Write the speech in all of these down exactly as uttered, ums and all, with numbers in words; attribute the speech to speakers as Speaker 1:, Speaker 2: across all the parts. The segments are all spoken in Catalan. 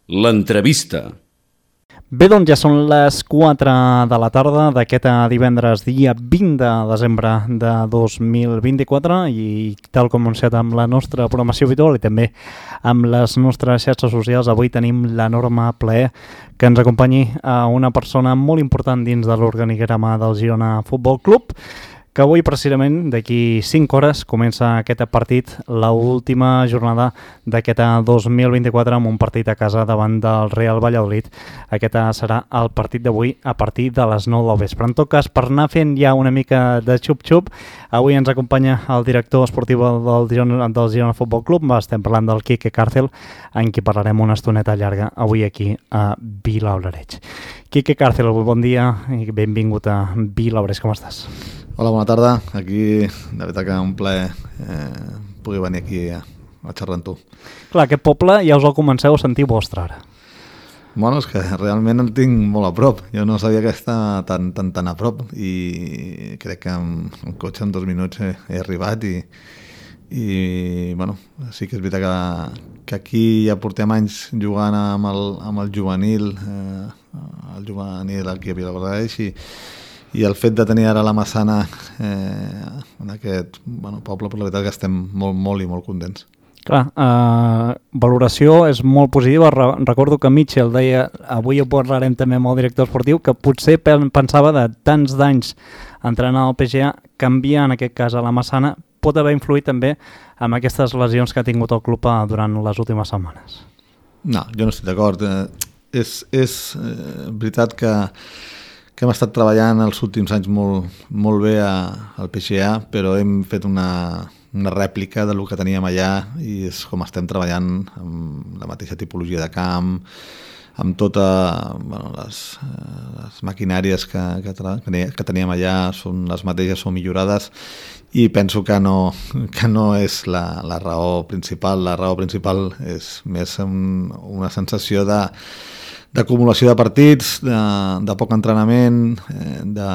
Speaker 1: L'entrevista.
Speaker 2: Bé, doncs ja són les quatre de la tarda d'aquest divendres dia vint de desembre de dos mil vint-i-quatre i tal com anunciat amb la nostra programació habitual i també amb les nostres xarxes socials, avui tenim l'enorme plaer que ens acompanyi a una persona molt important dins de l'organigrama del Girona Futbol Club, que avui precisament d'aquí cinc hores comença aquest partit, l'última jornada d'aquest dos mil vint-i-quatre amb un partit a casa davant del Real Valladolid. Aquest serà el partit d'avui a partir de les nou del vespre. En tot cas, per anar fent ja una mica de xup-xup, avui ens acompanya el director esportiu del Girona, del Girona Futbol Club. Estem parlant del Quique Càrcel, en qui parlarem una estoneta llarga avui aquí a Vilablareix. Quique Càrcel, bon dia i benvingut a Vilablareix. Com estàs?
Speaker 3: Hola, bona tarda. Aquí, de veritat que un plaer eh, pugui venir aquí a, a xerrar amb tu.
Speaker 2: Clar, aquest poble ja us el comenceu a sentir vostre ara.
Speaker 3: Bueno, és que realment el tinc molt a prop. Jo no sabia que està tan, tan, tan a prop i crec que amb un cotxe en dos minuts he, he arribat i, i bueno, sí que és veritat que, que aquí ja portem anys jugant amb el, amb el juvenil, eh, el juvenil aquí a Vilablareix i I el fet de tenir ara la Massana eh, en aquest bueno, poble, per la veritat que estem molt, molt i molt contents.
Speaker 2: Clar, eh, valoració és molt positiva. Re recordo que Mitchell deia, avui ho parlarem també amb el director esportiu, que potser pensava de tants d'anys entrenant al P G A, canviar en aquest cas a la Massana, pot haver influït també amb aquestes lesions que ha tingut el club durant les últimes setmanes.
Speaker 3: No, jo no estic d'acord. Eh, és és eh, veritat que que hem estat treballant els últims anys molt, molt bé a, al P G A, però hem fet una, una rèplica del que teníem allà i és com estem treballant amb la mateixa tipologia de camp, amb totes bueno, les, les maquinàries que, que, que teníem allà, són les mateixes, són millorades i penso que no, que no és la, la raó principal. La raó principal és més un, una sensació de d'acumulació de partits, de, de poc entrenament, de,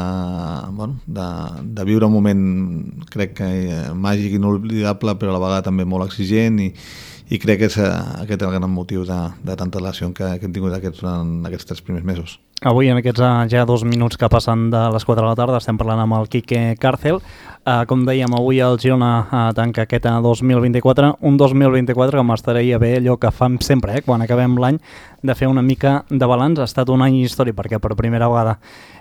Speaker 3: bueno, de, de viure un moment, crec que màgic i inolvidable, però a la vegada també molt exigent i, i crec que és aquest el gran motiu de, de tanta lesió que, que hem tingut aquests, en aquests tres primers mesos.
Speaker 2: Avui, en aquests ja dos minuts que passen de les quatre de la tarda, estem parlant amb el Quique Càrcel. Uh, com dèiem, avui el Girona uh, tanca aquest dos mil vint-i-quatre, un dos mil vint-i-quatre que m'estaria bé allò que fem sempre, eh, quan acabem l'any, de fer una mica de balanç. Ha estat un any històric perquè per primera vegada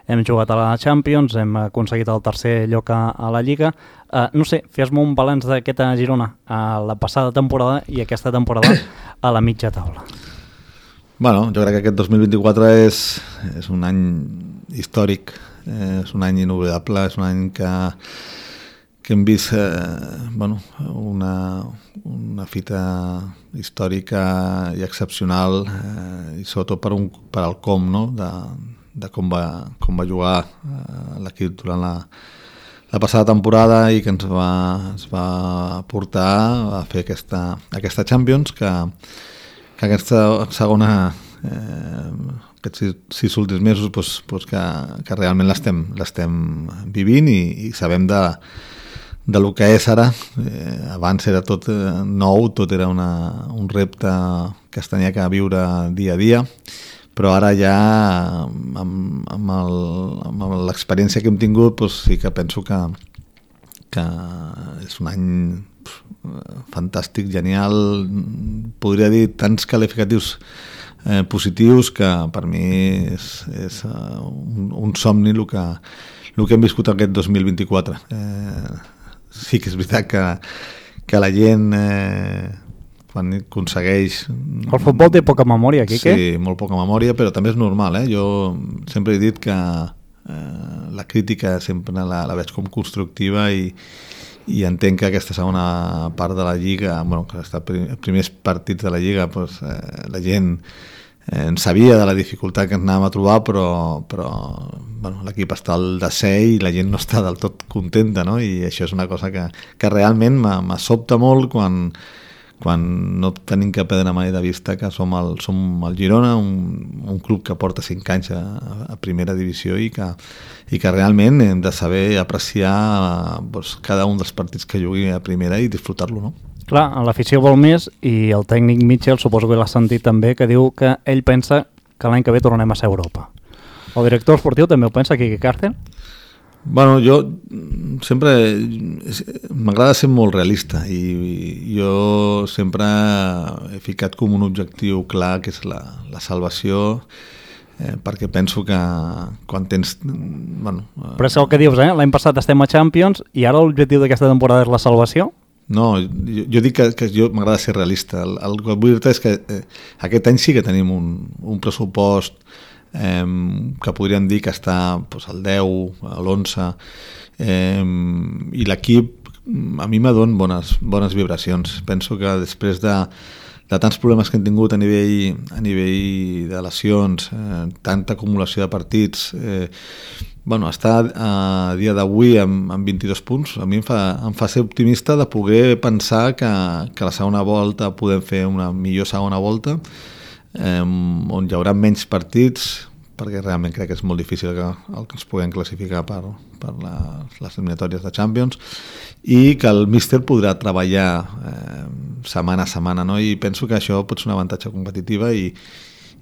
Speaker 2: hem jugat a la Champions, hem aconseguit el tercer lloc a, a la Lliga. Uh, no sé, fes-me un balanç d'aquest Girona a la passada temporada i aquesta temporada a la mitja taula.
Speaker 3: Bueno, jo crec que aquest dos mil vint-i-quatre és, és un any històric, eh, és un any inoblidable, és un any que, que hem vist eh, bueno, una, una fita històrica i excepcional eh, i sobretot per, un, per al com, no? de, de com, va, com va jugar eh, l'equip durant la, la passada temporada i que ens va, ens va portar a fer aquesta, aquesta Champions que que aquesta segona, eh, aquests sis, sis últims mesos, pues, pues que, que realment l'estem vivint i, i sabem de, de lo que és ara. Eh, abans era tot nou, tot era una, un repte que es tenia que viure dia a dia, però ara ja amb, amb l'experiència que hem tingut pues, sí que penso que, que és un any fantàstic, genial, podria dir tants qualificatius eh, positius que per mi és, és uh, un, un somni el que, el que hem viscut aquest dos mil vint-i-quatre. Eh, sí que és veritat que, que la gent eh, quan aconsegueix...
Speaker 2: El futbol té poca memòria, Quique?
Speaker 3: Sí, molt poca memòria, però també és normal. Eh? Jo sempre he dit que eh, la crítica sempre la, la veig com constructiva i i entenc que aquesta segona part de la Lliga, bueno, que els primers partits de la Lliga, pues, eh, la gent eh, en sabia de la dificultat que ens anàvem a trobar, però, però bueno, l'equip està al desè i la gent no està del tot contenta, no? I això és una cosa que, que realment m'assobta molt quan, quan no tenim que perdre mai de vista que som el, som el Girona, un, un club que porta cinc anys a, a primera divisió i que, i que realment hem de saber apreciar doncs, cada un dels partits que jugui a primera i disfrutar-lo, no?
Speaker 2: Clar, l'afició vol més i el tècnic Mitchell suposo que l'ha sentit també, que diu que ell pensa que l'any que ve tornem a ser a Europa. El director esportiu també ho pensa, Quique Cárcel?
Speaker 3: Bueno, jo sempre m'agrada ser molt realista i jo sempre he ficat com un objectiu clar, que és la, la salvació, eh, perquè penso que quan tens... Bueno,
Speaker 2: Però és el que dius, eh? L'any passat estem a Champions i ara l'objectiu d'aquesta temporada és la salvació?
Speaker 3: No, jo, jo dic que, que jo m'agrada ser realista. El, el que vull dir és que eh, aquest any sí que tenim un, un pressupost eh, que podríem dir que està pues, al deu, a l'onze, eh, i l'equip a mi m'adona bones, bones vibracions. Penso que després de, de tants problemes que hem tingut a nivell, a nivell de lesions, eh, tanta acumulació de partits, eh, bueno, estar a dia d'avui amb, amb vint-i-dos punts a mi em fa, em fa ser optimista de poder pensar que, que la segona volta podem fer una millor segona volta, eh, on hi haurà menys partits, perquè realment crec que és molt difícil que, el que ens puguem classificar per, per les, les eliminatòries de Champions, i que el míster podrà treballar eh, setmana a setmana, no? I penso que això pot ser un avantatge competitiva i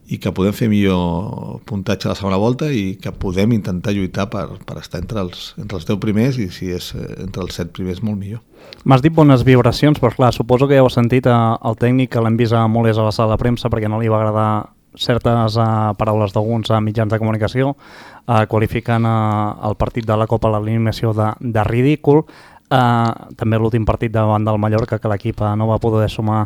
Speaker 3: i que podem fer millor puntatge a la segona volta i que podem intentar lluitar per, per estar entre els, entre els deu primers i si és entre els set primers molt millor.
Speaker 2: M'has dit bones vibracions, però clar, suposo que ja heu sentit el tècnic que l'hem vist a molt a la sala de premsa perquè no li va agradar certes uh, paraules d'alguns uh, mitjans de comunicació, uh, qualificant uh, el partit de la Copa a l'eliminació de, de ridícul. Uh, també l'últim partit davant del Mallorca, que l'equip uh, no va poder sumar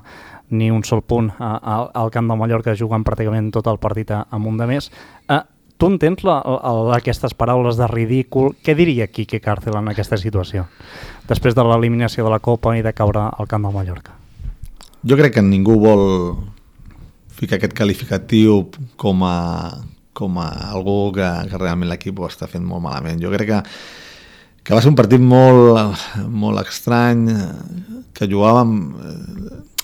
Speaker 2: ni un sol punt uh, al, al camp del Mallorca, jugant pràcticament tot el partit amb un de més. Uh, tu entens la, la, aquestes paraules de ridícul? Què diria Quique Cárcel en aquesta situació, després de l'eliminació de la Copa i de caure al camp del Mallorca?
Speaker 3: Jo crec que ningú vol ficar aquest qualificatiu com a, com a algú que, que realment l'equip ho està fent molt malament. Jo crec que que va ser un partit molt, molt estrany, que jugàvem...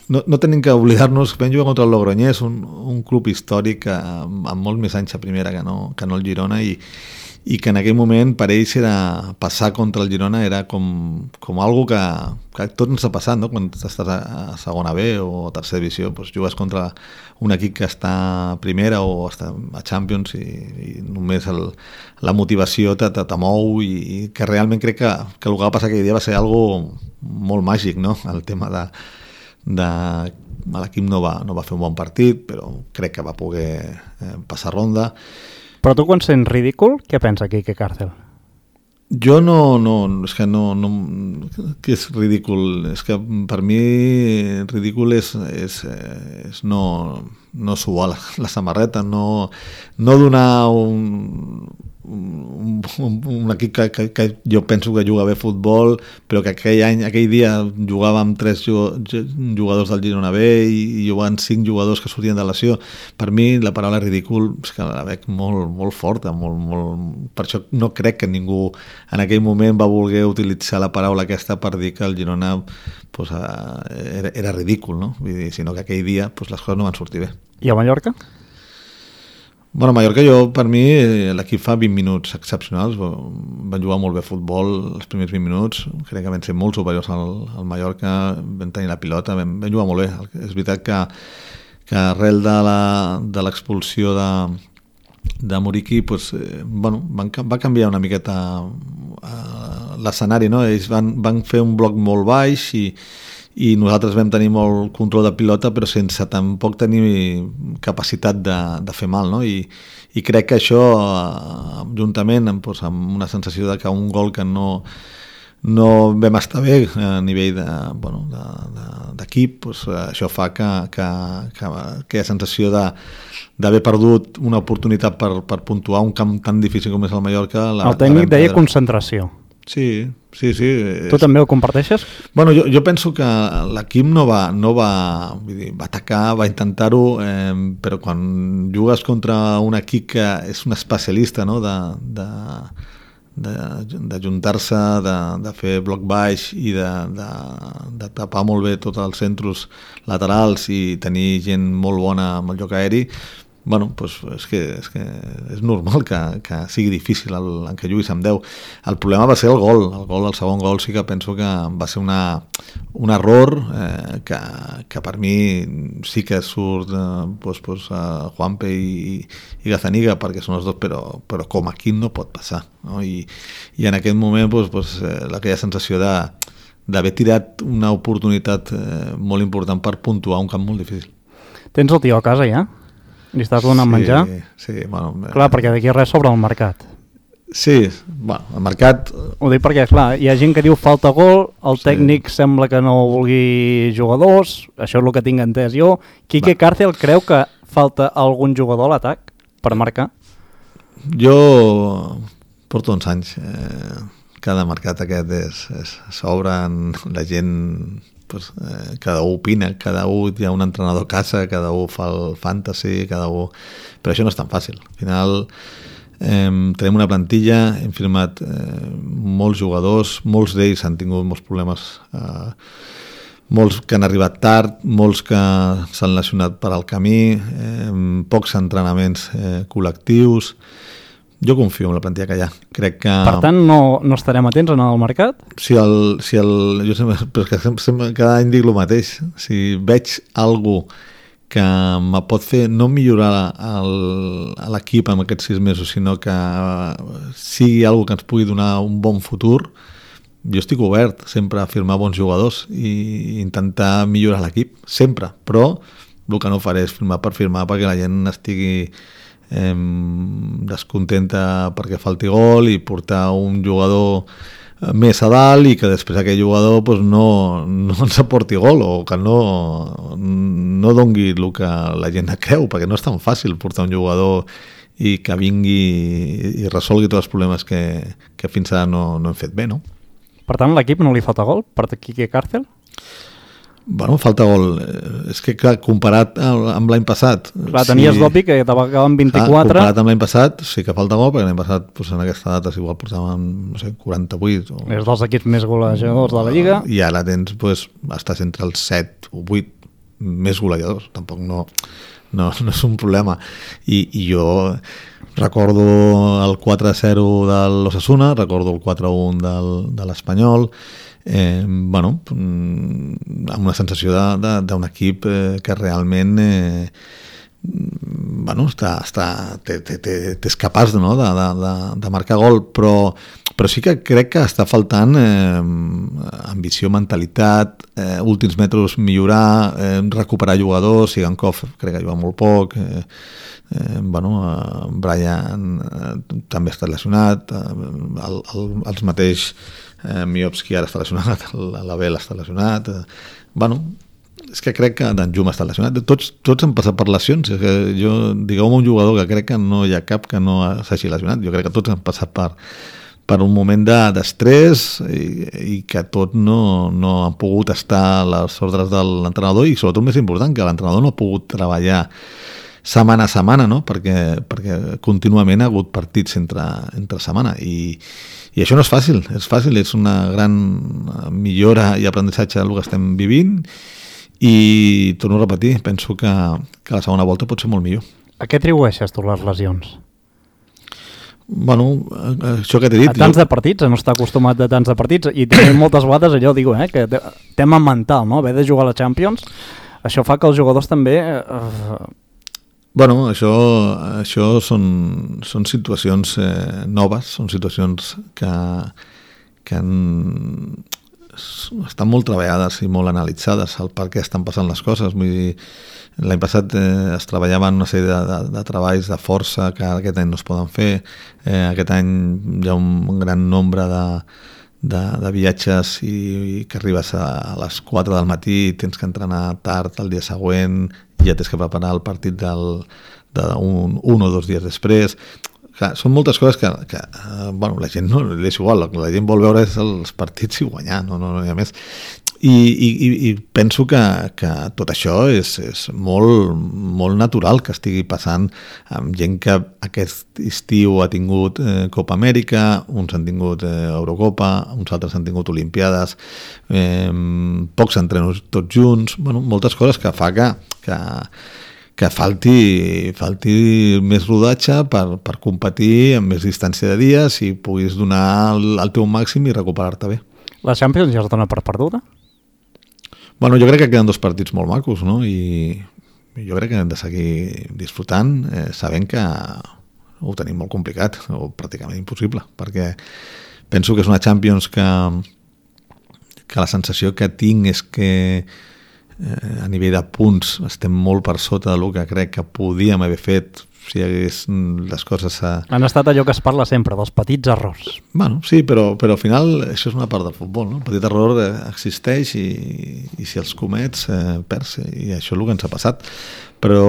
Speaker 3: No, no tenim que oblidar-nos que vam jugar contra el Logroñés, un, un club històric amb, amb molt més anys a primera que no, que no el Girona, i, i que en aquell moment per ells era passar contra el Girona era com, com algo que, que tot ens ha passat, no? Quan estàs a, a segona B o a tercera divisió, doncs jugues contra un equip que està a primera o està a Champions i, i només el, la motivació te, te, te mou i, i que realment crec que, que el que va passar aquell dia va ser algo molt màgic, no? El tema de, de l'equip no va, no va fer un bon partit, però crec que va poder eh, passar ronda.
Speaker 2: Però tu quan sents ridícul, què pensa Quique Cárcel?
Speaker 3: Jo no, no, és que no, no, que és ridícul, és que per mi ridícul és, és, és no, no suar la, la samarreta, no, no donar un, un, un, un equip que, que, que jo penso que juga bé futbol, però que aquell any, aquell dia jugàvem tres jugadors del Girona B i, i jugant cinc jugadors que sortien de lesió. Per mi la paraula ridícul és que la veig molt, molt forta, molt, molt... Per això no crec que ningú en aquell moment va voler utilitzar la paraula aquesta per dir que el Girona pues, era, era ridícul, no? Vull dir, sinó que aquell dia pues, les coses no van sortir bé.
Speaker 2: I a Mallorca?
Speaker 3: Bueno, a Mallorca jo, per mi, l'equip fa vint minuts excepcionals, van jugar molt bé a futbol els primers vint minuts, crec que van ser molt superiors al, al Mallorca, van tenir la pilota, van, van jugar molt bé. És veritat que, que arrel de l'expulsió de, de Muriqui, pues, eh, bueno, van, va canviar una miqueta eh, l'escenari, no? Ells van, van fer un bloc molt baix i i nosaltres vam tenir molt control de pilota però sense tampoc tenir capacitat de, de fer mal, no? I, i crec que això juntament amb, doncs, amb una sensació de que un gol que no, no vam estar bé a nivell de, bueno, de, de, d'equip, doncs, això fa que, que, que aquella sensació de d'haver perdut una oportunitat per, per puntuar un camp tan difícil com és el Mallorca. La,
Speaker 2: el tècnic deia concentració.
Speaker 3: Sí, sí, sí.
Speaker 2: Tu també ho comparteixes?
Speaker 3: Bueno, jo, jo penso que l'equip no va, no va, vull dir, va atacar, va intentar-ho, eh, però quan jugues contra un equip que és un especialista, no?, de, de, de, de juntar-se, de, de fer bloc baix i de, de, de tapar molt bé tots els centres laterals i tenir gent molt bona amb el joc aeri, bueno, pues és que és, que és normal que, que sigui difícil el, en què juguis amb deu. El problema va ser el gol, el gol, el segon gol sí que penso que va ser una, un error eh, que, que per mi sí que surt eh, pues, pues, uh, Juanpe i, i Gazaniga perquè són els dos, però, però com aquí no pot passar, no? I, i en aquest moment pues, pues, eh, aquella sensació de d'haver tirat una oportunitat eh, molt important per puntuar un camp molt difícil.
Speaker 2: Tens el tio a casa ja? Li estàs donant
Speaker 3: sí,
Speaker 2: menjar?
Speaker 3: Sí, bueno...
Speaker 2: Clar, perquè d'aquí res sobre el mercat.
Speaker 3: Sí, bueno, el mercat...
Speaker 2: Ho dic perquè, clar, hi ha gent que diu falta gol, el sí. tècnic sembla que no vulgui jugadors, això és el que tinc entès jo. Quique Va. Cárcel creu que falta algun jugador a l'atac per marcar?
Speaker 3: Jo porto uns anys. Eh, cada mercat aquest és, és s'obren, la gent... Pues, eh, cada un opina, cada un hi ha un entrenador a casa, cada un fa el fantasy, cada un... Però això no és tan fàcil. Al final eh, tenim una plantilla, hem firmat eh, molts jugadors, molts d'ells han tingut molts problemes, eh, molts que han arribat tard, molts que s'han lesionat per al camí, eh, pocs entrenaments eh, col·lectius. Jo confio en la plantilla que hi ha. Crec que...
Speaker 2: Per tant, no, no estarem atents en el mercat?
Speaker 3: Si el... Si el jo sempre, perquè sempre, sempre, cada any dic el mateix. Si veig algú que me pot fer no millorar l'equip en aquests sis mesos, sinó que sigui algú que ens pugui donar un bon futur, jo estic obert sempre a firmar bons jugadors i intentar millorar l'equip, sempre. Però el que no faré és firmar per firmar perquè la gent estigui... Eh, descontenta perquè falti gol i portar un jugador més a dalt i que després aquell jugador pues, no, no ens aporti gol o que no, no dongui el que la gent creu, perquè no és tan fàcil portar un jugador i que vingui i resolgui tots els problemes que, que fins ara no, no hem fet bé, no?
Speaker 2: Per tant, l'equip no li falta gol per Quique Cárcel?
Speaker 3: Bueno, falta gol. És que, clar, comparat amb l'any passat...
Speaker 2: Clar, tenies sí, d'obvi que te va acabar amb vint-i-quatre...
Speaker 3: Clar, comparat amb l'any passat, sí que falta gol, perquè l'any passat, doncs, en aquesta data, igual portàvem, no sé, quaranta-vuit... O...
Speaker 2: És dels equips més golejadors de la Lliga.
Speaker 3: I ara tens, doncs, estàs entre els set o vuit més golejadors. Tampoc no, no, no és un problema. I, i jo recordo el quatre a zero de l'Osasuna, recordo el quatre a un del, de l'Espanyol... Eh, bueno, amb una sensació d'un equip eh, que realment eh, bueno, està, està, t'és capaç no, de, de, de marcar gol, però, però sí que crec que està faltant eh, ambició, mentalitat, eh, últims metres millorar, eh, recuperar jugadors. Sigankov crec que juga molt poc, eh, eh, bueno, eh, Brian eh, també està lesionat, eh, el, el, els mateix eh, Miovski ara està lesionat, l'Abel està lesionat, eh, bueno, és que crec que Danjuma està lesionat, tots, tots han passat per lesions. És que jo, digueu-me un jugador que crec que no hi ha cap que no s'hagi lesionat, jo crec que tots han passat per, per un moment d'estrès i, i que tot no, no han pogut estar a les ordres de l'entrenador i sobretot més important, que l'entrenador no ha pogut treballar setmana a setmana, no? perquè, perquè contínuament ha hagut partits entre, entre setmana i, i això no és fàcil, és fàcil, és una gran millora i aprenentatge del que estem vivint i torno a repetir, penso que, que la segona volta pot ser molt millor.
Speaker 2: A què atribueixes tu les lesions?
Speaker 3: Bueno, això que t'he dit...
Speaker 2: A tants jo... de partits, a no estar acostumat a tants de partits i també moltes vegades allò, digo, eh, que tema mental, no? Haver de jugar a la Champions, això fa que els jugadors també... Eh...
Speaker 3: Bueno, això, això són, són situacions eh, noves, són situacions que, que han, estan molt treballades i molt analitzades el per què estan passant les coses. Vull dir, l'any passat eh, es treballaven una sèrie de, de, de treballs de força que aquest any no es poden fer. Eh, aquest any hi ha un, un gran nombre de, de, de viatges i, i que arribes a, a les quatre del matí, tens que entrenar tard el dia següent, ja tens que preparar el partit del, de un, un o dos dies després. Clar, són moltes coses que, que eh, bueno, la gent no és igual, la gent vol veure els partits i guanyar, no, no, no hi ha més. I, i, i penso que, que tot això és, és molt, molt natural que estigui passant amb gent que aquest estiu ha tingut eh, Copa Amèrica, uns han tingut eh, Eurocopa, uns altres han tingut Olimpiades, eh, pocs entrenos tots junts, bueno, moltes coses que fa que, que, que falti, falti més rodatge per, per competir amb més distància de dies i puguis donar el, el teu màxim i recuperar-te bé.
Speaker 2: La Champions ja es dona per perduda?
Speaker 3: Bueno, jo crec que queden dos partits molt macos, no? I jo crec que hem de seguir disfrutant eh, sabent que ho tenim molt complicat o pràcticament impossible, perquè penso que és una Champions que, que la sensació que tinc és que eh, a nivell de punts estem molt per sota del que crec que podíem haver fet si hagués les coses... A...
Speaker 2: Han estat allò que es parla sempre, dels petits errors.
Speaker 3: Bueno, sí, però, però al final això és una part del futbol, no? El petit error existeix i, i si els comets eh, perds, i això és el que ens ha passat. Però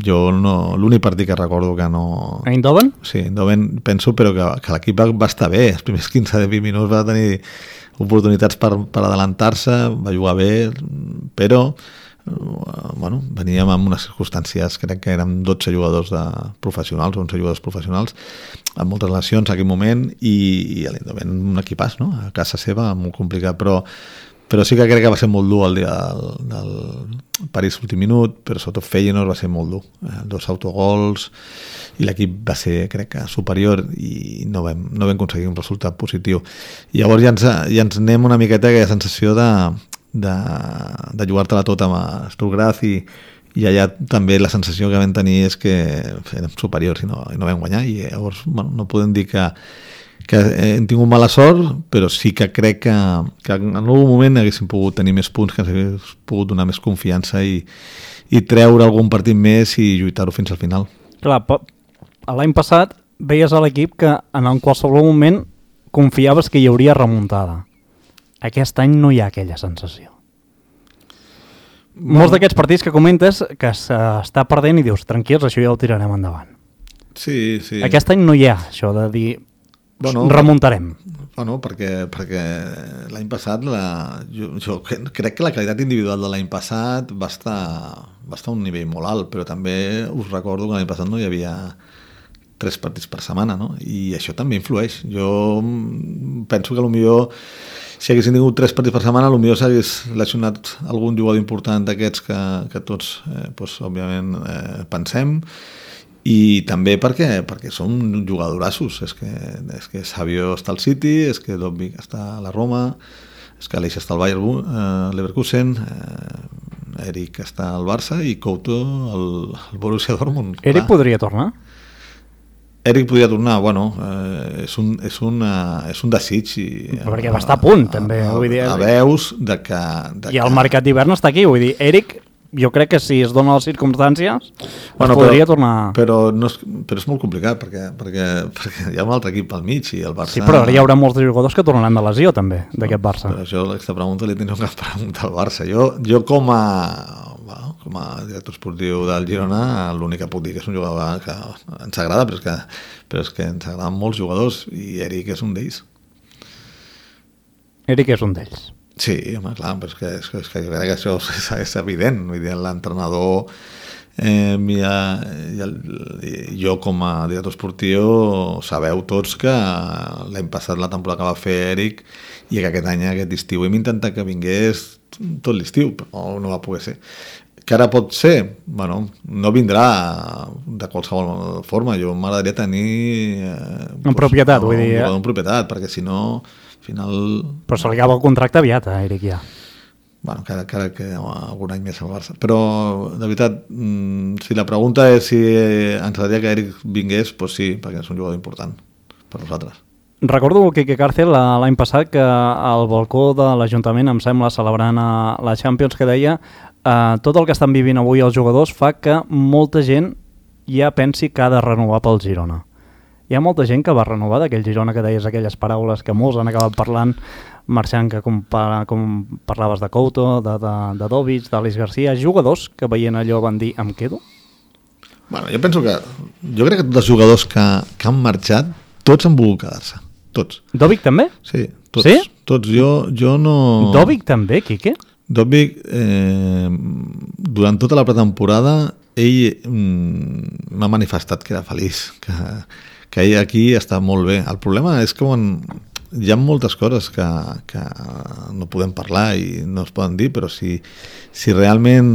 Speaker 3: jo no... L'únic partit que recordo que no...
Speaker 2: Eindhoven?
Speaker 3: Sí, Eindhoven penso, però que, que l'equip va, va estar bé. Els primers quinze a vint minuts va tenir oportunitats per, per adelantar-se, va jugar bé, però... bueno, veníem amb unes circumstàncies, crec que érem dotze jugadors de professionals, onze jugadors professionals, amb moltes lesions en aquell moment, i, i l'Eindhoven un equipàs, no? A casa seva, molt complicat, però, però sí que crec que va ser molt dur el dia del, del París últim minut, però sobretot Feyenoord va ser molt dur. Eh, dos autogols, i l'equip va ser, crec que, superior, i no vam, no vam aconseguir un resultat positiu. I llavors ja ens, ja ens anem una miqueta aquella sensació de de, de jugar-te-la tot amb Stuttgart i, i allà també la sensació que vam tenir és que érem superiors i no, i no vam guanyar i llavors bueno, no podem dir que, que hem tingut mala sort, però sí que crec que, que en algun moment haguéssim pogut tenir més punts, que ens hagués pogut donar més confiança i, i treure algun partit més i lluitar-ho fins al final.
Speaker 2: Clar, l'any passat veies a l'equip que en qualsevol moment confiaves que hi hauria remuntada. Aquest any no hi ha aquella sensació. Molts d'aquests partits que comentes que s'està perdent i dius, tranquils, això ja ho tirarem endavant.
Speaker 3: Sí, sí.
Speaker 2: Aquest any no hi ha això de dir, bueno, remuntarem.
Speaker 3: Bueno, perquè, perquè l'any passat la, jo, jo crec que la qualitat individual de l'any passat va estar, va estar a un nivell molt alt, però també us recordo que l'any passat no hi havia tres partits per setmana, no? I això també influeix. Jo penso que potser si haguessin tingut tres partits per setmana, potser s'hagués lesionat algun jugador important d'aquests que, que tots, eh, doncs, òbviament, eh, pensem, i també perquè, perquè són jugadorassos. És que, és que Savio està al City, és que Dobbik està a la Roma, és que Aleix està al Bayern eh, Leverkusen, eh, Eric està al Barça i Couto al, al Borussia Dortmund.
Speaker 2: Eric clar. Podria tornar?
Speaker 3: Eric podria tornar, bueno, eh, és, un, és, una, és un desig. I,
Speaker 2: perquè va estar a punt, també.
Speaker 3: A,
Speaker 2: vull dir,
Speaker 3: a veus de que... De
Speaker 2: I el
Speaker 3: que...
Speaker 2: mercat d'hivern està aquí, vull dir, Eric, jo crec que si es donen les circumstàncies, bueno, podria
Speaker 3: però,
Speaker 2: tornar...
Speaker 3: Però, no és, però és molt complicat, perquè, perquè, perquè hi ha un altre equip al mig i el Barça...
Speaker 2: Sí, però ara hi haurà molts jugadors que tornaran de lesió, també, d'aquest Barça.
Speaker 3: Però això, aquesta pregunta li teniu que preguntar al Barça. Jo, jo com a... Bueno, com a director esportiu del Girona, l'únic que puc dir que és un jugador que ens agrada, però és que, però és que ens agraden molts jugadors i Eric és un d'ells.
Speaker 2: Eric és un d'ells.
Speaker 3: Sí, home, clar, però és que, és que, és que jo crec que això és, és evident. Vull dir, l'entrenador eh, i, i, el, i jo com a director esportiu sabeu tots que l'any passat la temporada que va fer Eric i que aquest any, aquest estiu, hem intentat que vingués tot l'estiu, però no va poder ser. Que ara pot ser? Bueno, no vindrà de qualsevol forma. Jo m'agradaria tenir... Eh,
Speaker 2: en pues, propietat, no, vull dir.
Speaker 3: En propietat, perquè si no, al final...
Speaker 2: Però se li acaba el contracte aviat a Eric ja.
Speaker 3: Bueno, encara, encara que algun any més al Barça. Però, de veritat, si la pregunta és si ens agradaria que Eric vingués, doncs sí, perquè és un jugador important per nosaltres.
Speaker 2: Recordo el Quique Cárcel l'any passat que al balcó de l'Ajuntament, em sembla, celebrant la Champions, que deia uh, tot el que estan vivint avui els jugadors fa que molta gent ja pensi que ha de renovar pel Girona. Hi ha molta gent que va renovar d'aquell Girona que deies aquelles paraules que molts han acabat parlant, marxant, que com, com parlaves de Couto, de, de, de Dovic, d'Alice Garcia, jugadors que veient allò van dir em quedo?
Speaker 3: Bueno, jo penso que jo crec que tots els jugadors que, que han marxat tots han volgut quedar-se. Tots.
Speaker 2: Dovic també?
Speaker 3: Sí, tots.
Speaker 2: Sí?
Speaker 3: Tots. Jo, jo no...
Speaker 2: Dovic també, Quique?
Speaker 3: Dovic, eh, durant tota la pretemporada, ell mm, m'ha manifestat que era feliç, que, que ell aquí està molt bé. El problema és que quan hi ha moltes coses que, que no podem parlar i no es poden dir, però si, si realment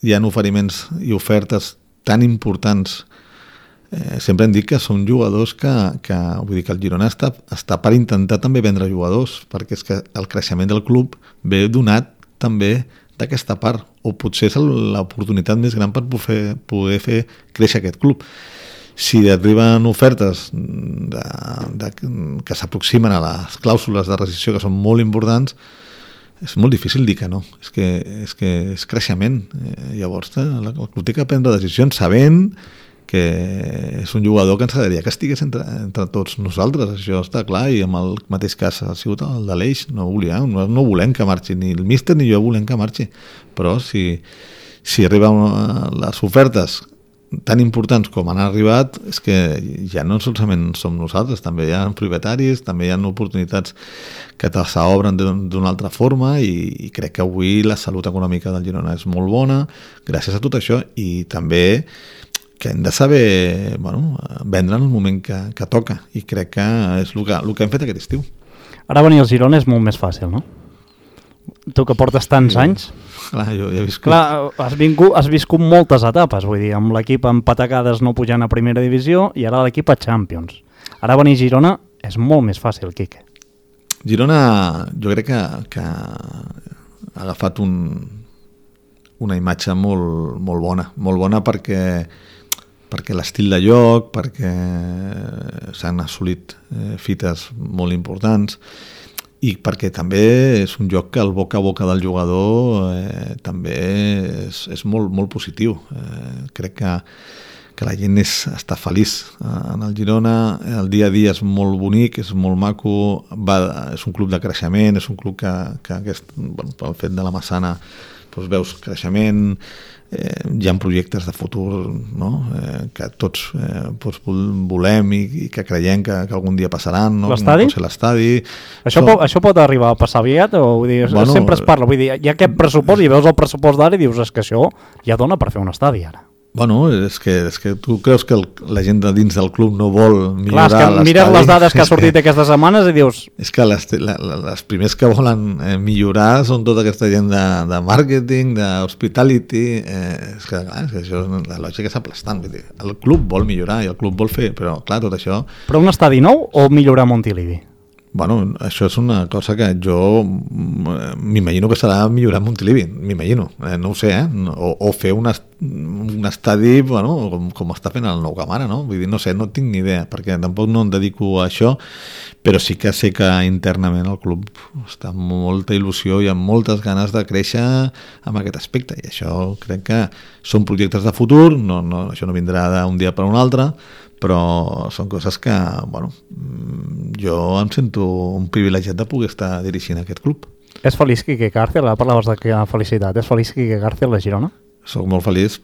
Speaker 3: hi ha oferiments i ofertes tan importants. Eh, sempre hem dit que són jugadors que, que, vull dir que el Girona està, està per intentar també vendre jugadors, perquè és que el creixement del club ve donat també d'aquesta part, o potser és l'oportunitat més gran per poder, poder fer créixer aquest club. Si arriben ofertes de, de, que s'aproximen a les clàusules de rescissió, que són molt importants, és molt difícil dir que no. És que és, que és creixement. Eh, llavors, el club té que prendre decisions sabent que és un jugador que ens agradaria que estigués entre, entre tots nosaltres, això està clar, i amb el mateix cas ha sigut el de l'Eix, no volem, no, no volem que marxi, ni el míster ni jo volem que marxi, però si, si arriben les ofertes tan importants com han arribat, és que ja no solament som nosaltres, també hi ha propietaris, també hi ha oportunitats que s'obren d'una altra forma, i, i crec que avui la salut econòmica del Girona és molt bona, gràcies a tot això, i també que hem de saber, bueno, vendre en el moment que, que toca, i crec que és el que, el que hem fet aquest estiu.
Speaker 2: Ara venir al Girona és molt més fàcil, no? Tu que portes tants sí. anys...
Speaker 3: Clar, jo ja he viscut...
Speaker 2: Clar, has, vingut, has viscut moltes etapes, vull dir, amb l'equip amb patacades no pujant a primera divisió i ara l'equip a Champions. Ara venir a Girona és molt més fàcil, Quique.
Speaker 3: Girona, jo crec que, que ha agafat un, una imatge molt, molt bona, molt bona perquè perquè l'estil de joc, perquè s'han assolit eh, fites molt importants, i perquè també és un joc que el boca a boca del jugador eh, també és, és molt, molt positiu. Eh, crec que, que la gent és, està feliç en el Girona, el dia a dia és molt bonic, és molt maco, va, és un club de creixement, és un club que, que aquest, bueno, pel fet de la Massana doncs veus creixement, eh, hi ha projectes de futur, no? eh, que tots eh, doncs volem i, i que creiem que, que algun dia passaran, no?
Speaker 2: L'estadi?
Speaker 3: Com pot ser l'estadi.
Speaker 2: Això, pot, això pot arribar a passar aviat? O, vull dir, bueno, sempre es parla, vull dir, hi ha aquest pressupost i veus el pressupost d'ara i dius és que això ja dona per fer un estadi ara.
Speaker 3: Bueno, és que, és que tu creus que el, la gent de dins del club no vol millorar l'estadi.
Speaker 2: Clar, és que mires les dades que ha sortit que, aquestes setmanes i dius...
Speaker 3: És que les, la, les primers que volen eh, millorar són tota aquesta gent de, de màrqueting, d'hospitality, eh, és que clar, és que això, la lògica és aplastant. Vull dir, el club vol millorar i el club vol fer, però clar, tot això...
Speaker 2: Però un estadi nou o millorar Montilivi?
Speaker 3: Bueno, això és una cosa que jo m'imagino que serà millorar Montilivi, m'imagino, eh, no ho sé, eh? o, o fer un, est un estadi bueno, com, com està fent el Nou Camp ara, no? Vull dir, no sé, no tinc ni idea, perquè tampoc no em dedico a això, però sí que sé que internament el club està amb molta il·lusió i amb moltes ganes de créixer en aquest aspecte, i això crec que són projectes de futur, no, no, això no vindrà d'un dia per un altre, però són coses que, bueno, jo em sento un privilegiat de poder estar dirigint aquest club.
Speaker 2: És feliç Quique Cárcel? Parlaves de felicitat. És feliç Quique Cárcel a Girona?
Speaker 3: Soc molt feliç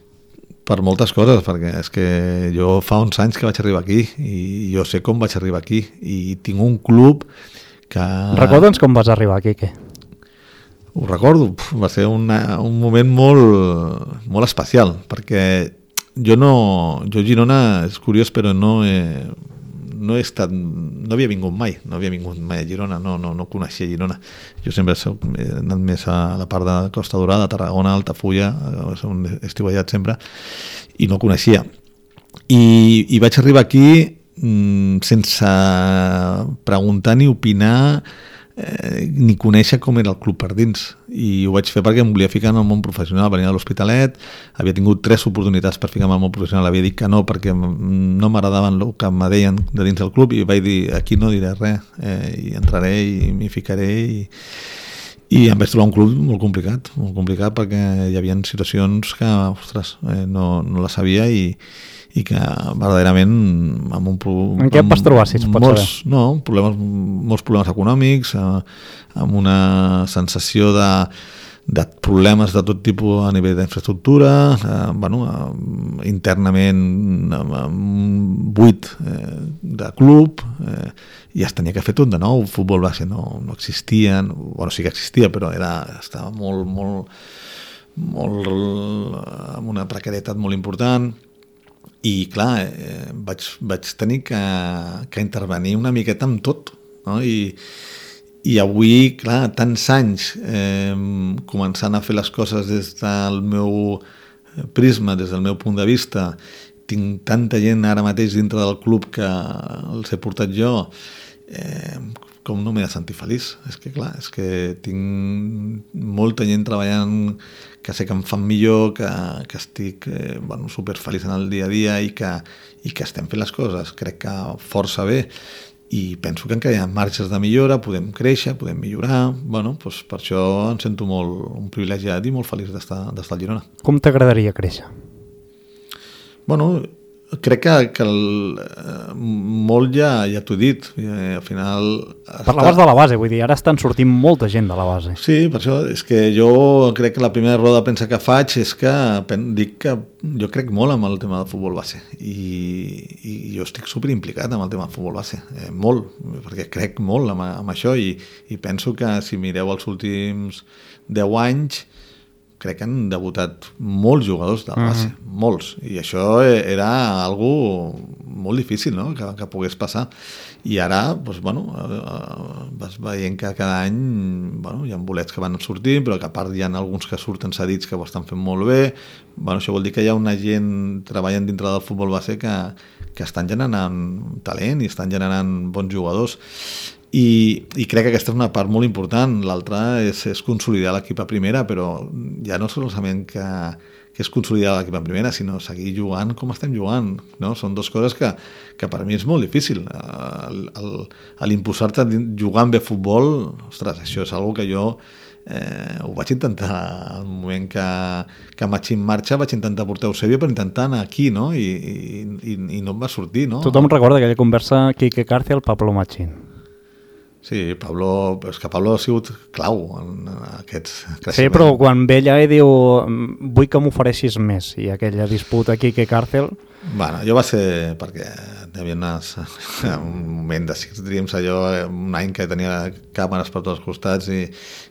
Speaker 3: per moltes coses, perquè és que jo fa uns anys que vaig arribar aquí i jo sé com vaig arribar aquí i tinc un club que...
Speaker 2: Recorda'ns com vas arribar, Quique.
Speaker 3: Ho recordo, va ser una, un moment molt, molt especial, perquè jo no, jo Girona és curiós, però no he, no he estat, no havia vingut mai, no havia vingut mai a Girona, no, no, no coneixia Girona. Jo sempre soc, he anat més a la part de Costa Dorada, Tarragona, Altafulla, on he estiuejat sempre, i no coneixia. I, i vaig arribar aquí mmm, sense preguntar ni opinar, Eh, ni conèixer com era el club per dins, i ho vaig fer perquè em volia ficar en el món professional. Venia de l'Hospitalet, havia tingut tres oportunitats per ficar-me en el món professional, havia dit que no perquè no m'agradaven el que em deien de dins del club, i vaig dir aquí no diré res, eh, i entraré i m'hi ficaré, i, i em vaig trobar un club molt complicat molt complicat perquè hi havia situacions que ostres, eh, no, no la sabia, i i que verdaderament amb un problema...
Speaker 2: En què et vas trobar, si es pot
Speaker 3: molts,
Speaker 2: saber?
Speaker 3: No, problemes, molts problemes econòmics, eh, amb una sensació de, de problemes de tot tipus a nivell d'infraestructura, eh, bueno, eh, internament amb un buit eh, de club, eh, i es tenia que fer tot de nou. El futbol base no, no existia, bueno, sí que existia, però era, estava molt, molt, molt amb una precarietat molt important. I clar, eh, vaig, vaig tenir que, que intervenir una miqueta amb tot, no? I, i avui, clar, tants anys eh, començant a fer les coses des del meu prisma, des del meu punt de vista, tinc tanta gent ara mateix dintre del club que els he portat jo, eh, com no m'he de sentir feliç? És que clar, és que tinc molta gent treballant que sé que em fan millor, que, que estic eh, bueno, superfeliç en el dia a dia i que, i que estem fent les coses, crec que força bé, i penso que encara hi ha marges de millora, podem créixer, podem millorar, bueno, doncs per això em sento molt un privilegiat i molt feliç d'estar d'estar al Girona.
Speaker 2: Com t'agradaria créixer?
Speaker 3: Bueno, crec que, que el, eh, molt ja, ja t'ho he dit. Eh, al final...
Speaker 2: Parlaves
Speaker 3: està...
Speaker 2: de la base, vull dir, ara estan sortint molta gent de la base.
Speaker 3: Sí, per això és que jo crec que la primera roda de premsa que faig és que dic que jo crec molt amb el tema del futbol base i, i jo estic superimplicat amb el tema del futbol base, eh, molt, perquè crec molt amb, amb això i, i penso que si mireu els últims deu anys crec que han debutat molts jugadors de la base, uh-huh. molts, i això era algo molt difícil, no?, que, que pogués passar, i ara doncs, bueno, vas veient que cada any bueno, hi ha bolets que van sortint, però que a part hi ha alguns que surten cedits que ho estan fent molt bé. Bueno, això vol dir que hi ha una gent treballant dintre del futbol base que, que estan generant talent i estan generant bons jugadors. I, i crec que aquesta és una part molt important. L'altra és, és consolidar l'equip a primera, però ja no solament que, que és consolidar l'equip a primera, sinó seguir jugant com estem jugant, no? Són dues coses que, que per mi és molt difícil. L'imposar-te jugant bé a futbol, ostres, això és una que jo eh, ho vaig intentar al moment que, que vaig en marxa, vaig intentar portar Eusebio per intentar anar aquí, no? I, i, i no em va sortir, no?
Speaker 2: Tothom recorda aquella conversa Quique Cárcel, Pablo Machín.
Speaker 3: Sí, Pablo, és que Pablo ha sigut clau en aquests creixements.
Speaker 2: Sí, però quan ve allà i diu vull que m'ofereixis més, i aquella disputa aquí que Càrcel...
Speaker 3: Bueno, jo va ser perquè hi havia unes, un moment de Six Dreams, allò, un any que tenia càmeres per tots els costats i,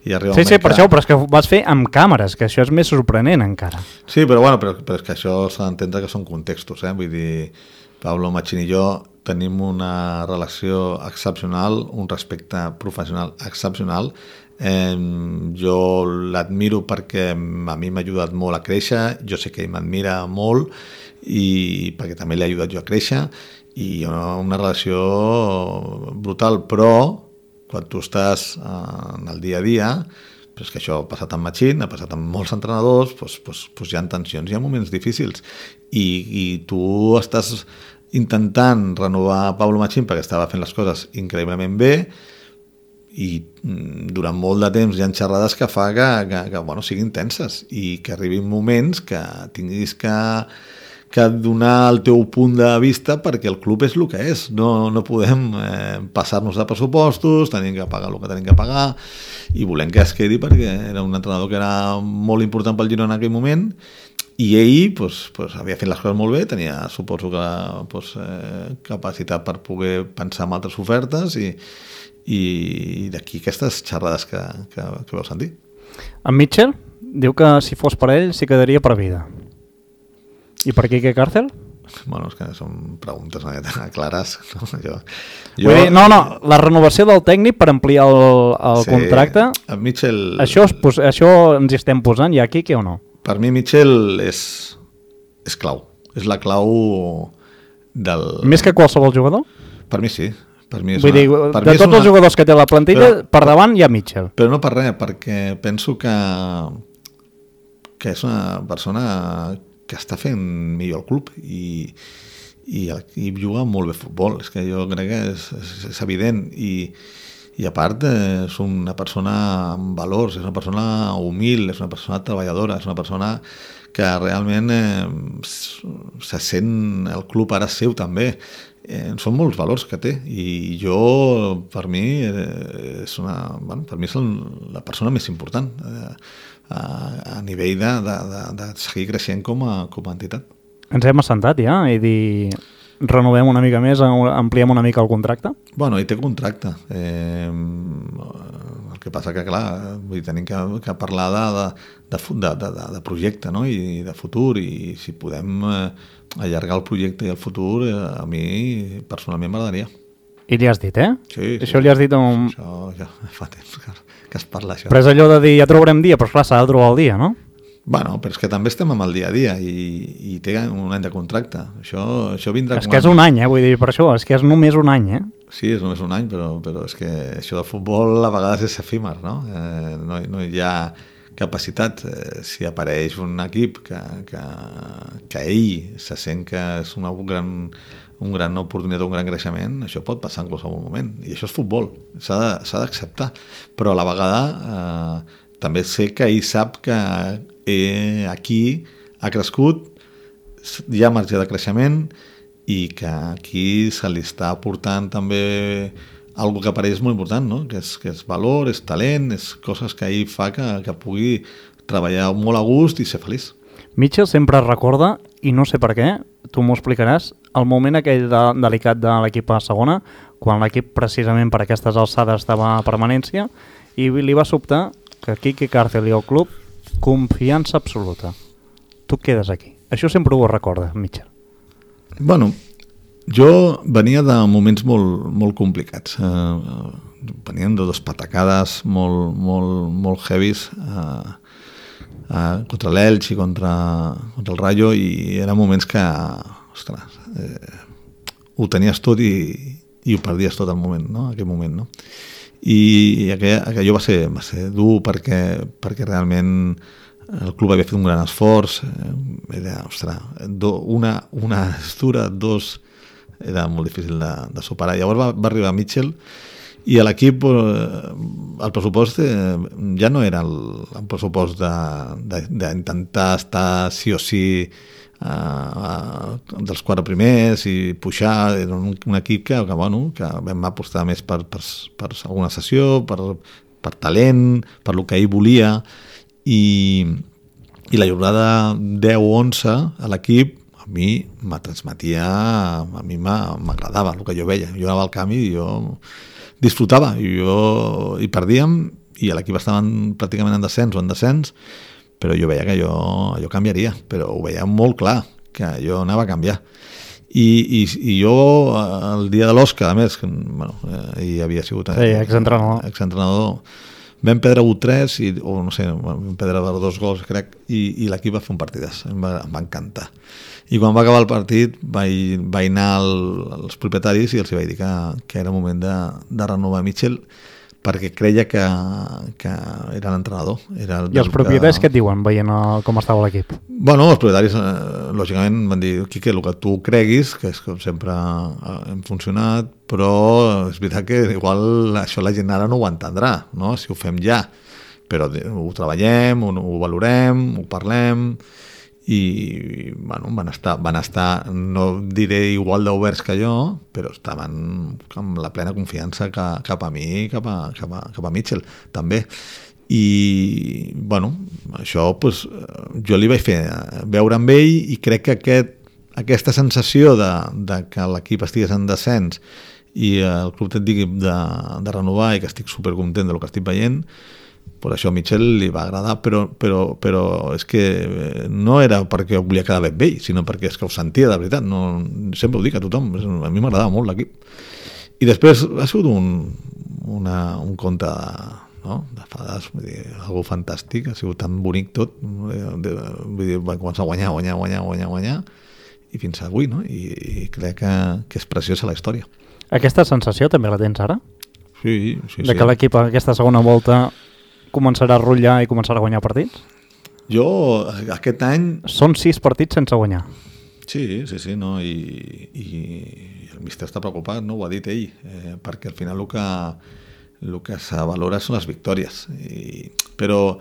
Speaker 3: i arriba un
Speaker 2: sí,
Speaker 3: moment
Speaker 2: sí, per
Speaker 3: que...
Speaker 2: això, però és que ho vas fer amb càmeres, que això és més sorprenent encara.
Speaker 3: Sí, però bueno, però, però és que això s'ha d'entendre que són contextos, eh? Vull dir, Pablo Machín i jo tenim una relació excepcional, un respecte professional excepcional. Eh, jo l'admiro perquè a mi m'ha ajudat molt a créixer, jo sé que ell m'admira molt i perquè també l'he ajudat jo a créixer i una relació brutal, però quan tu estàs en el dia a dia, però és que això ha passat amb Machín, ha passat amb molts entrenadors, doncs, doncs, doncs hi ha tensions, hi ha moments difícils i, i tu estàs intentant renovar Pablo Machín perquè estava fent les coses increïblement bé i durant molt de temps hi ha xerrades que fa que, que, que bueno, siguin tenses i que arribin moments que tinguis que, que donar el teu punt de vista perquè el club és el que és, no, no podem eh, passar-nos de pressupostos, tenim que pagar el que tenim que pagar i volem que es quedi perquè era un entrenador que era molt important pel Girona en aquell moment i ell pues, pues, havia fet les coses molt bé, tenia, suposo que pues, eh, capacitat per poder pensar en altres ofertes i, i d'aquí aquestes xerrades que, que, que vau sentir.
Speaker 2: En Mitchell diu que si fos per ell s'hi quedaria per vida. I per Quique Càrcel?
Speaker 3: Bueno, és que són preguntes una mica clares. No, jo,
Speaker 2: jo... Dir, no, no, la renovació del tècnic per ampliar el, el sí, contracte,
Speaker 3: en Mitchell...
Speaker 2: això, es, això ens hi estem posant ja, Quique, o no?
Speaker 3: Per mi Mitchell és, és clau. És la clau del...
Speaker 2: Més que qualsevol jugador?
Speaker 3: Per mi sí. Per mi és
Speaker 2: Vull
Speaker 3: una,
Speaker 2: dir,
Speaker 3: per
Speaker 2: de
Speaker 3: mi
Speaker 2: tots
Speaker 3: una...
Speaker 2: els jugadors que té la plantilla,
Speaker 3: però,
Speaker 2: per davant hi ha Mitchell.
Speaker 3: Però no per res, perquè penso que, que és una persona que està fent millor el club i, i, i juga molt bé futbol. És que jo crec que és, és, és evident i I a part eh, és una persona amb valors, és una persona humil, és una persona treballadora, és una persona que realment eh, se sent el club ara seu també. Eh, són molts valors que té i jo, per mi, eh, és una, bueno, per mi és la persona més important eh, a, a nivell de, de, de, de seguir creixent com a, com a entitat.
Speaker 2: Ens hem assentat ja i dir... renovem una mica més, ampliem una mica el contracte?
Speaker 3: Bueno, ell té contracte. Eh, el que passa que, clar, vull dir, tenim que, que parlar de, de, de, de, de projecte, no? I de futur, i si podem eh, allargar el projecte i el futur, eh, a mi personalment m'agradaria.
Speaker 2: I li has dit, eh?
Speaker 3: Sí.
Speaker 2: Això sí, li has dit un...
Speaker 3: Això ja fa temps que, que es parla, això.
Speaker 2: Però és allò de dir, ja trobarem dia, però clar, s'ha de trobar el dia, no?
Speaker 3: Bueno, però és que també estem amb el dia a dia i, i té un any de contracte. Això, això vindrà...
Speaker 2: És que és un any, eh? Vull dir, per això, és que és només un any, eh?
Speaker 3: Sí, és només un any, però, però és que això del futbol a vegades és efímer, no? Eh, no, no hi ha capacitat. Eh, si apareix un equip que, que, que ell se sent que és una gran, un gran oportunitat, un gran creixement, això pot passar en qualsevol moment. I això és futbol, s'ha d'acceptar. Però a la vegada eh, també sé que ell sap que eh, aquí ha crescut, hi ha marge de creixement i que aquí se li està aportant també algo que per ell és molt important, no? que, és, que és valor, és talent, és coses que ell fa que, que pugui treballar molt a gust i ser feliç.
Speaker 2: Mitchell sempre recorda, i no sé per què, tu m'ho explicaràs, el moment aquell de, delicat de l'equip a segona, quan l'equip precisament per aquestes alçades estava a permanència, i li va sobtar que Quique Cárcel i el club confiança absoluta. Tu quedes aquí. Això sempre ho recorda, Mitchell.
Speaker 3: Bueno, jo venia de moments molt, molt complicats. Eh, venien de dos patacades molt, molt, molt heavies eh, eh, contra l'Elx i contra, contra el Rayo, i eren moments que, ostres, eh, ho tenies tot i, i ho perdies tot al moment, no? Aquell moment, no? I aquell, aquell va ser, va ser dur perquè, perquè realment el club havia fet un gran esforç, era, ostres, do, una, una estura, dos, era molt difícil de, de superar. Llavors va, va arribar Mitchell i a l'equip el pressupost eh, ja no era el, el pressupost d'intentar estar sí o sí eh, eh, dels quatre primers i pujar. Era un, un equip que, que, bueno, que vam apostar més per, per, per alguna sessió, per, per talent, per el que ell volia, i, i la jornada deu onze a l'equip a mi me transmetia, a mi m'agradava el que jo veia. Jo anava al camp i jo disfrutava, i, jo, i perdíem, i l'equip estaven pràcticament en descens o en descens, però jo veia que jo, jo canviaria, però ho veia molt clar, que jo anava a canviar. I, i, i jo, el dia de l'Oscar, a més, que, bueno, eh, hi havia sigut
Speaker 2: sí, exentrenador,
Speaker 3: exentrenador vam perdre u tres, i, o no sé, vam perdre dos gols, crec, i, i l'equip va fer un partidàs, em va, em va encantar. I quan va acabar el partit vaig, vaig anar al, als propietaris i els vaig dir que, que era moment de, de renovar Mitchell, perquè creia que, que era l'entrenador. Era el
Speaker 2: I els propietaris
Speaker 3: que...
Speaker 2: què et diuen veient el, com estava l'equip?
Speaker 3: Bueno, els propietaris eh, lògicament van dir, Quique, el que tu creguis, que és com sempre eh, hem funcionat, però és veritat que igual això la gent ara no ho entendrà, no? Si ho fem ja, però ho treballem, ho, ho valorem, ho parlem, i bueno, van estar, van estar, no diré igual d'oberts que jo, però estaven amb la plena confiança que, cap a mi, cap a, cap a, cap a Mitchell també. I bueno, això pues, jo li vaig fer veure amb ell, i crec que aquest, aquesta sensació de, de que l'equip estigués en descens i el club et digui de, de renovar, i que estic supercontent del que estic veient, per això a Mitchell li va agradar, però, però, però és que no era perquè volia quedar bé amb ell, sinó perquè és que ho sentia de veritat. No, sempre ho dic a tothom, a mi m'agradava molt l'equip. I després ha sigut un, una, un conte de, no? de fades, vull dir, algo fantàstic, ha sigut tan bonic tot, vull dir, va començar a guanyar, guanyar, guanyar, guanyar, guanyar, i fins avui, no? I, i crec que, que és preciosa la història.
Speaker 2: Aquesta sensació també la tens ara?
Speaker 3: Sí, sí,
Speaker 2: de
Speaker 3: sí.
Speaker 2: Que l'equip aquesta segona volta començarà a rotllar i començarà a guanyar partits?
Speaker 3: Jo, aquest any...
Speaker 2: Són sis partits sense guanyar.
Speaker 3: Sí, sí, sí, no? I, i el míster està preocupat, no? Ho ha dit ell, eh, perquè al final el que, el que se valora són les victòries. I, però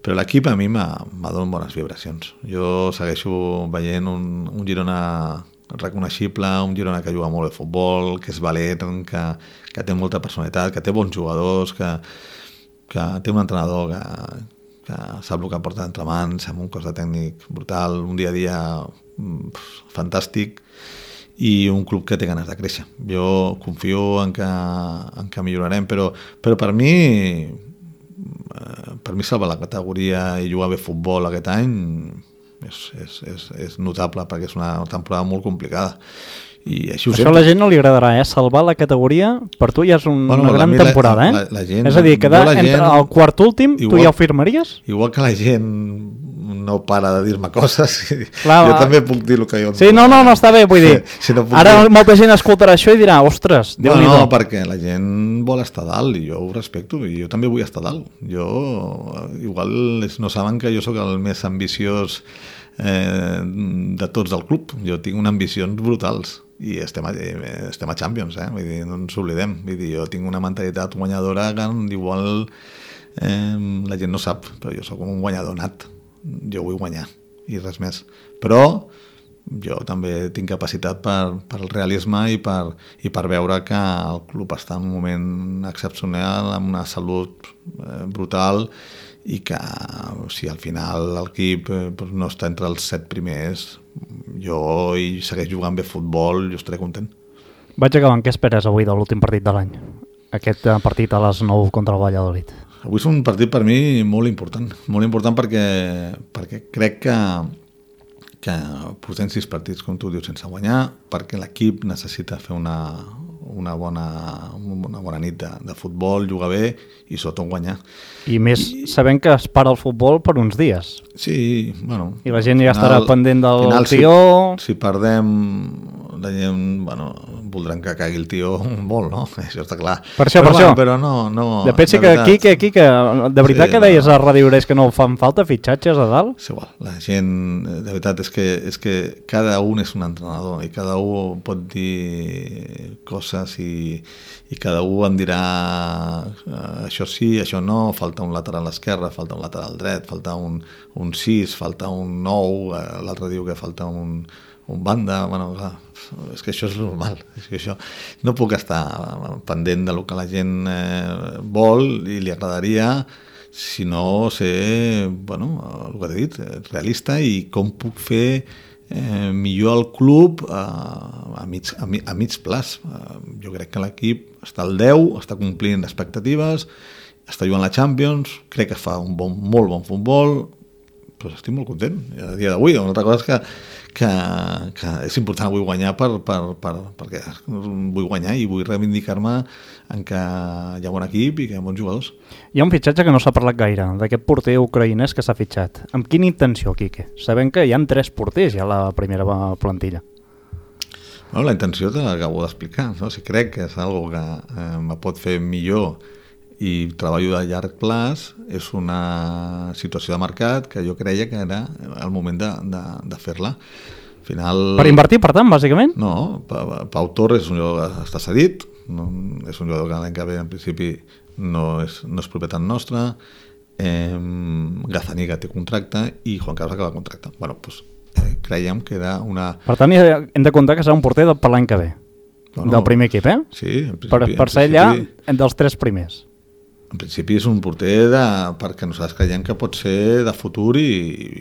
Speaker 3: però l'equip a mi m'ha donat bones vibracions. Jo segueixo veient un, un Girona reconeixible, un Girona que juga molt de futbol, que és valent, que, que té molta personalitat, que té bons jugadors, que que té un entrenador que, que sap el que porta entre mans, amb un cos de tècnic brutal, un dia a dia pff, fantàstic, i un club que té ganes de créixer. Jo confio en que, en que millorarem, però, però per mi per mi salvar la categoria i jugar bé futbol aquest any és, és, és, és notable, perquè és una temporada molt complicada. I així ho
Speaker 2: Això
Speaker 3: sento.
Speaker 2: a la gent no li agradarà, eh? Salvar la categoria per tu ja és un,
Speaker 3: Bueno,
Speaker 2: una
Speaker 3: a
Speaker 2: gran
Speaker 3: mi la-
Speaker 2: temporada, eh?
Speaker 3: la- la gent-
Speaker 2: és a dir, quedar
Speaker 3: jo la
Speaker 2: entre
Speaker 3: gent-
Speaker 2: el quart últim, tu
Speaker 3: igual-
Speaker 2: ja ho firmaries?
Speaker 3: Igual que la gent no para de dir-me coses,
Speaker 2: Clar,
Speaker 3: jo
Speaker 2: va.
Speaker 3: també puc dir el que jo...
Speaker 2: Sí, no, no, no està bé, vull dir,
Speaker 3: Si- si no puc
Speaker 2: ara
Speaker 3: dir-
Speaker 2: molta gent escoltarà això i dirà, ostres,
Speaker 3: No,
Speaker 2: Déu-n'hi-do.
Speaker 3: no, perquè la gent vol estar dalt i jo ho respecto i jo també vull estar dalt. Jo, igual ells no saben que jo sóc el més ambiciós eh, de tots del club. Jo tinc unes ambicions brutals i estem a, estem a Champions, eh? Vull dir, no ens oblidem. Vull dir, jo tinc una mentalitat guanyadora que igual eh, la gent no sap, però jo sóc un guanyador nat. Jo vull guanyar i res més. Però jo també tinc capacitat per, per el realisme i per, i per veure que el club està en un moment excepcional, amb una salut eh, brutal i que si al final l'equip eh, no està entre els set primers, jo i segueix jugant bé futbol, jo estaré content.
Speaker 2: Vaig acabant, què esperes avui de l'últim partit de l'any? Aquest eh, partit a les nou contra el Valladolid.
Speaker 3: Avui és un partit per mi molt important, molt important perquè, perquè crec que que portem sis partits, com tu dius, sense guanyar, perquè l'equip necessita fer una, una, bona, una bona nit de, de futbol, jugar bé i sobretot guanyar.
Speaker 2: I més I... sabent que es para el futbol per uns dies.
Speaker 3: Sí, bueno...
Speaker 2: I la gent ja estarà pendent del
Speaker 3: final,
Speaker 2: tió...
Speaker 3: Si, si perdem, la gent, bueno, voldran que caigui el tió molt, no? Això està clar.
Speaker 2: Per això,
Speaker 3: però,
Speaker 2: per això.
Speaker 3: Bueno, però no... no
Speaker 2: de pensi que aquí, que aquí, que de veritat sí, que deies a Ràdio Greix que no fan falta fitxatges a dalt?
Speaker 3: És igual, la gent, de veritat, és que, és que cada un és un entrenador i cada un pot dir coses i, i cada un em dirà uh, això sí, això no, falta un lateral esquerre, falta un lateral dret, falta un, un sis, falta un nou, uh, l'altre diu que falta un, un banda, bueno, clar, és que això és normal, és que això no puc estar pendent del que la gent eh, vol i li agradaria, sinó ser, bueno, el que he dit, realista i com puc fer eh, millor el club a, a, mig, a, mig, a mig plaç. Eh, jo crec que l'equip està al deu, està complint expectatives, està jugant la Champions, crec que fa un bon, molt bon futbol, però estic molt content a dia d'avui. Una altra cosa és que Que, que és important avui guanyar per, per, per, perquè vull guanyar i vull reivindicar-me en que hi ha bon equip i que hi ha bons jugadors.
Speaker 2: Hi ha un fitxatge que no s'ha parlat gaire, d'aquest porter ucraïnès que s'ha fitxat. Amb quina intenció, Quique? Sabem que hi ha tres porters ja a la primera plantilla.
Speaker 3: Bueno, la intenció te l'acabo d'explicar, no? Si crec que és una que eh, me pot fer millor i treballo de llarg plaç, és una situació de mercat que jo creia que era el moment de, de, de fer-la. Al final...
Speaker 2: Per invertir, per tant, bàsicament?
Speaker 3: No, Pau Torres és un jugador que està cedit, no, és un jugador que l'any que ve en principi no és, no és propietat nostra, eh, Gazaniga té contracte i Juan Carlos acaba contracte. Bueno, doncs eh, creiem que era una...
Speaker 2: Per tant, hem de comptar que serà un porter per l'any que ve, bueno, del primer equip, eh?
Speaker 3: Sí, en principi.
Speaker 2: Per, per ser allà dels tres primers.
Speaker 3: En principi és un porter de, perquè nosaltres creiem que pot ser de futur i,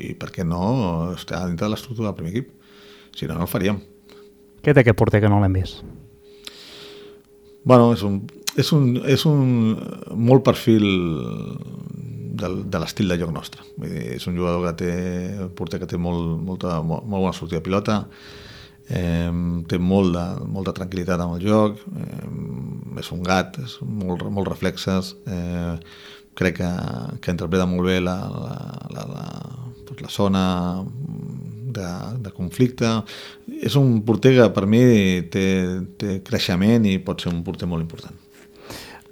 Speaker 3: i perquè no està dintre de l'estructura del primer equip. Si no, no el faríem.
Speaker 2: Què té aquest porter que no l'hem vist?
Speaker 3: Bueno, és un, és un, és un molt perfil del, de l'estil de joc nostre. Vull dir, és un jugador que té, un porter que té molt, molta, molt, molt bona sortida de pilota, eh, té molt de, molta tranquil·litat amb el joc, eh, és un gat, és molt, molt reflexes, eh, crec que, que interpreta molt bé la, la, la, la, la zona de, de conflicte. És un porter que per mi té, té creixement i pot ser un porter molt important.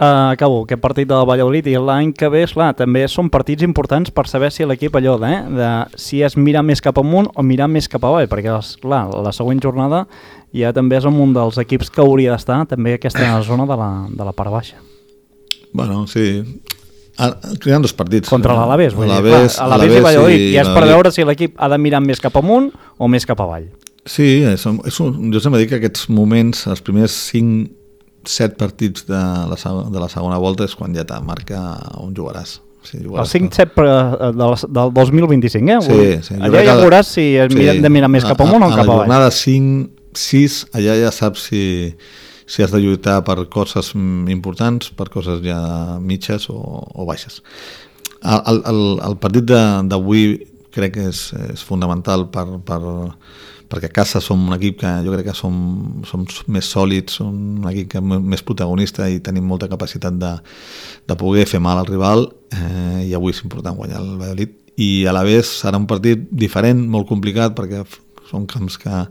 Speaker 2: Uh, acabo aquest partit del Valladolid i l'any que ve, esclar, també són partits importants per saber si l'equip allò de, eh, de si és mirar més cap amunt o mirar més cap avall, perquè esclar, la següent jornada ja també és un dels equips que hauria d'estar també aquesta zona de la, de la part baixa.
Speaker 3: Bueno, sí, hi ha dos partits.
Speaker 2: Contra l'Alavés, vull dir, clar, Alavés i Valladolid, i és per veure si l'equip ha de mirar més cap amunt o més cap avall.
Speaker 3: Sí, és, és un, jo sempre dic que aquests moments, els primers cinc set partits de la, de la segona volta és quan ja te marca on jugaràs. Sí,
Speaker 2: el cinc set del, del dos mil vint-i-cinc, eh?
Speaker 3: Sí, sí.
Speaker 2: Allà ja veuràs si sí, hem de mirar més cap amunt o cap avall.
Speaker 3: A la jornada cinc sis, allà ja saps si, si has de lluitar per coses importants, per coses ja mitges o, o baixes. El, el, el partit d'avui crec que és, és fonamental per, per, perquè a casa som un equip que jo crec que som, som més sòlids, som un equip que més protagonista i tenim molta capacitat de, de poder fer mal al rival, eh, i avui és important guanyar el Valladolid. I a la vegada serà un partit diferent, molt complicat, perquè són camps que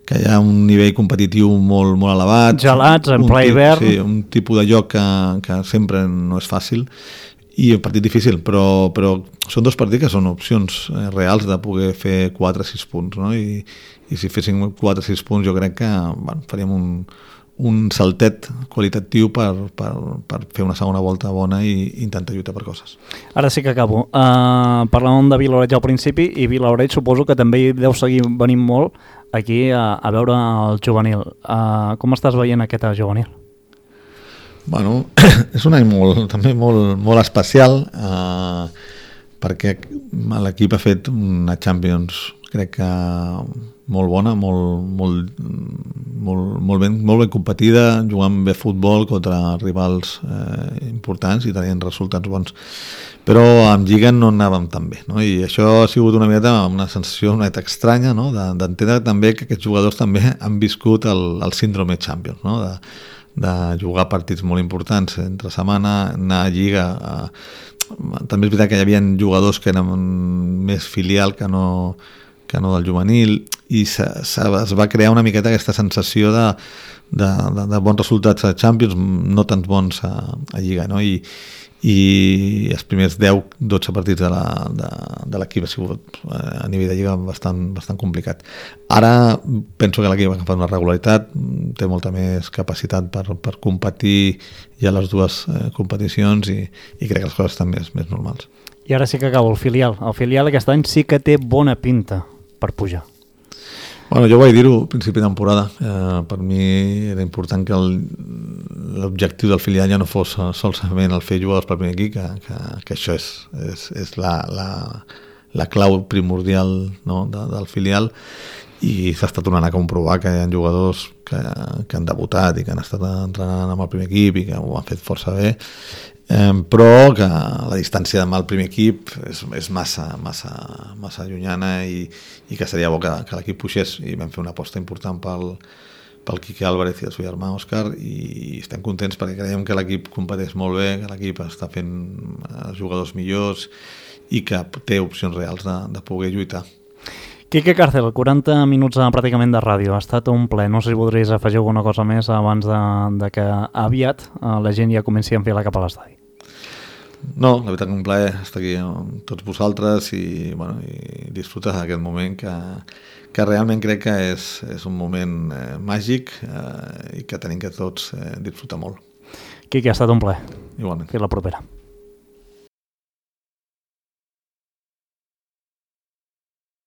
Speaker 3: que hi ha un nivell competitiu molt, molt elevat.
Speaker 2: Gelats, en ple hivern.
Speaker 3: Sí, un tipus de joc que, que sempre no és fàcil i un partit difícil, però, però són dos partits que són opcions eh, reals de poder fer quatre o sis punts, no? I, i si féssim quatre o sis punts jo crec que bueno, faríem un, un saltet qualitatiu per, per, per fer una segona volta bona i intentar lluitar per coses.
Speaker 2: Ara sí que acabo. Uh, parlàvem de Vilaoreig al principi i Vilaoreig suposo que també hi deu seguir venint molt aquí a, a veure el juvenil. Uh, com estàs veient aquest juvenil?
Speaker 3: Bueno, és un any molt, també molt, molt especial uh, perquè l'equip ha fet una Champions crec que molt bona, molt, molt, molt, molt, ben, molt ben competida, jugant bé futbol contra rivals eh, importants i tenint resultats bons. Però amb Lliga no anàvem tan bé, no? I això ha sigut una miqueta una sensació una miqueta estranya, no? d'entendre també que aquests jugadors també han viscut el, el síndrome Champions, no? de, de jugar partits molt importants entre setmana, anar a Lliga. A... També és veritat que hi havia jugadors que eren més filial que no que no del juvenil, i se, se, es va crear una miqueta aquesta sensació de, de, de, de bons resultats a Champions, no tants bons a, a Lliga, no? I, i els primers deu dotze partits de, la, de, de l'equip ha sigut a nivell de Lliga bastant, bastant complicat. Ara penso que l'equip ha agafat una regularitat, té molta més capacitat per, per competir ja les dues eh, competicions i, i crec que les coses estan més, més normals.
Speaker 2: I ara sí que acabo, el filial. El filial aquest any sí que té bona pinta per pujar.
Speaker 3: Bueno, jo vaig dir-ho al principi de temporada. Eh, per mi era important que l'objectiu del filial ja no fos solament el fer jugadors pel primer equip, que, que, que això és, és, és la, la, la clau primordial, no, de, del filial, i s'està tornant a comprovar que hi ha jugadors que, que han debutat i que han estat entrenant amb el primer equip i que ho han fet força bé, eh, però que la distància amb el primer equip és, és massa, massa, massa llunyana i, i que seria bo que, que l'equip puixés, i vam fer una aposta important pel, pel Quique Álvarez i el seu germà Òscar, i estem contents perquè creiem que l'equip competeix molt bé, que l'equip està fent els jugadors millors i que té opcions reals de, de poder lluitar.
Speaker 2: Quique Cárcel, quaranta minuts pràcticament de ràdio, ha estat un ple. No sé si voldries afegir alguna cosa més abans de, de que aviat la gent ja comenci a enfilar cap a l'estadi.
Speaker 3: No, la veritat que un plaer estar aquí amb tots vosaltres i, bueno, i disfrutar d'aquest moment que, que realment crec que és, és un moment eh, màgic eh, i que tenim que tots eh, disfrutar molt.
Speaker 2: Quique, ha estat un plaer.
Speaker 3: Igualment.
Speaker 2: Fins la propera.